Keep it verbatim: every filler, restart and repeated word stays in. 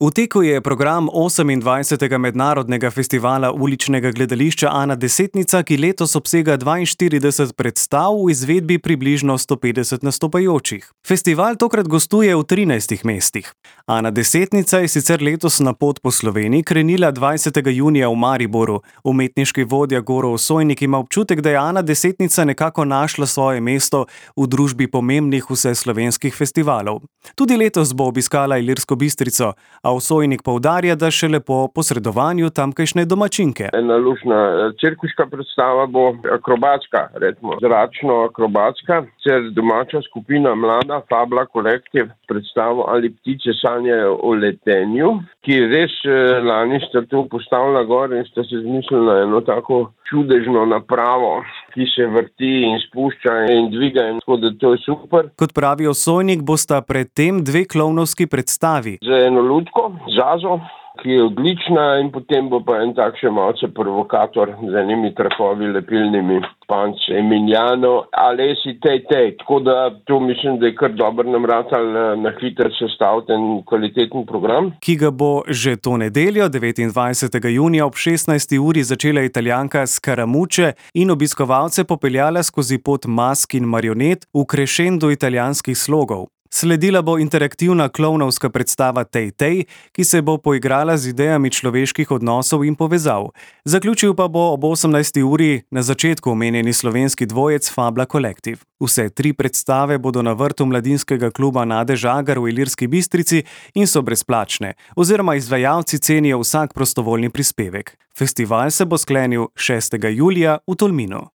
V teku je program osemindvajsetega mednarodnega festivala uličnega gledališča Ana Desetnica, ki letos obsega dvainštirideset predstav v izvedbi približno sto petdeset nastopajočih. Festival tokrat gostuje v trinajstih mestih. Ana Desetnica je sicer letos na pot po Sloveniji krenila dvajsetega junija v Mariboru. Umetniški vodja Goro Osojnik ima občutek, da je Ana Desetnica nekako našla svoje mesto v družbi pomembnih vseslovenskih festivalov. Tudi letos bo obiskala Ilirsko Bistrico, a Osojnik poudarja, da šele po posredovanju tamkajšnje domačinke. Ena luštna cirkuška predstava bo akrobatska, recimo zračno-akrobatska, cer domača skupina mlada Fabla Kolektiv predstavo Ali ptice sanjajo o letenju, ki res lani sta to postavila gor in sta se zmislila eno tako čudežno napravo, ki se vrti in spušča in dviga, in tako da to je super. Kot pravi Osojnik, bosta predtem dve klovnovski predstavi. Z eno lutko, Zazo, ki je odlična, in potem bo pa en tak še malce provokator z enimi trakovi lepilnimi, Panc Emiliano, Alesi tej tej. Tako da to mislim, da je kar dobro nam ratal na hitro sestaviti en kvaliteten program. Ki ga bo že to nedeljo, devetindvajsetega junija ob šestnajsti uri začela Italijanka Scaramucce in obiskovalce popeljala skozi pot mask in marionet v krešendo italijanskih slogov. Sledila bo interaktivna klovnovska predstava Tej tej, ki se bo poigrala z idejami človeških odnosov in povezav. Zaključil pa bo ob osemnajsti uri na začetku omenjeni slovenski dvojec Fabla Kolektiv. Vse tri predstave bodo na vrtu mladinskega kluba Nade Žagar v Ilirski Bistrici in so brezplačne, oziroma izvajalci cenijo vsak prostovoljni prispevek. Festival se bo sklenil šestega julija v Tolminu.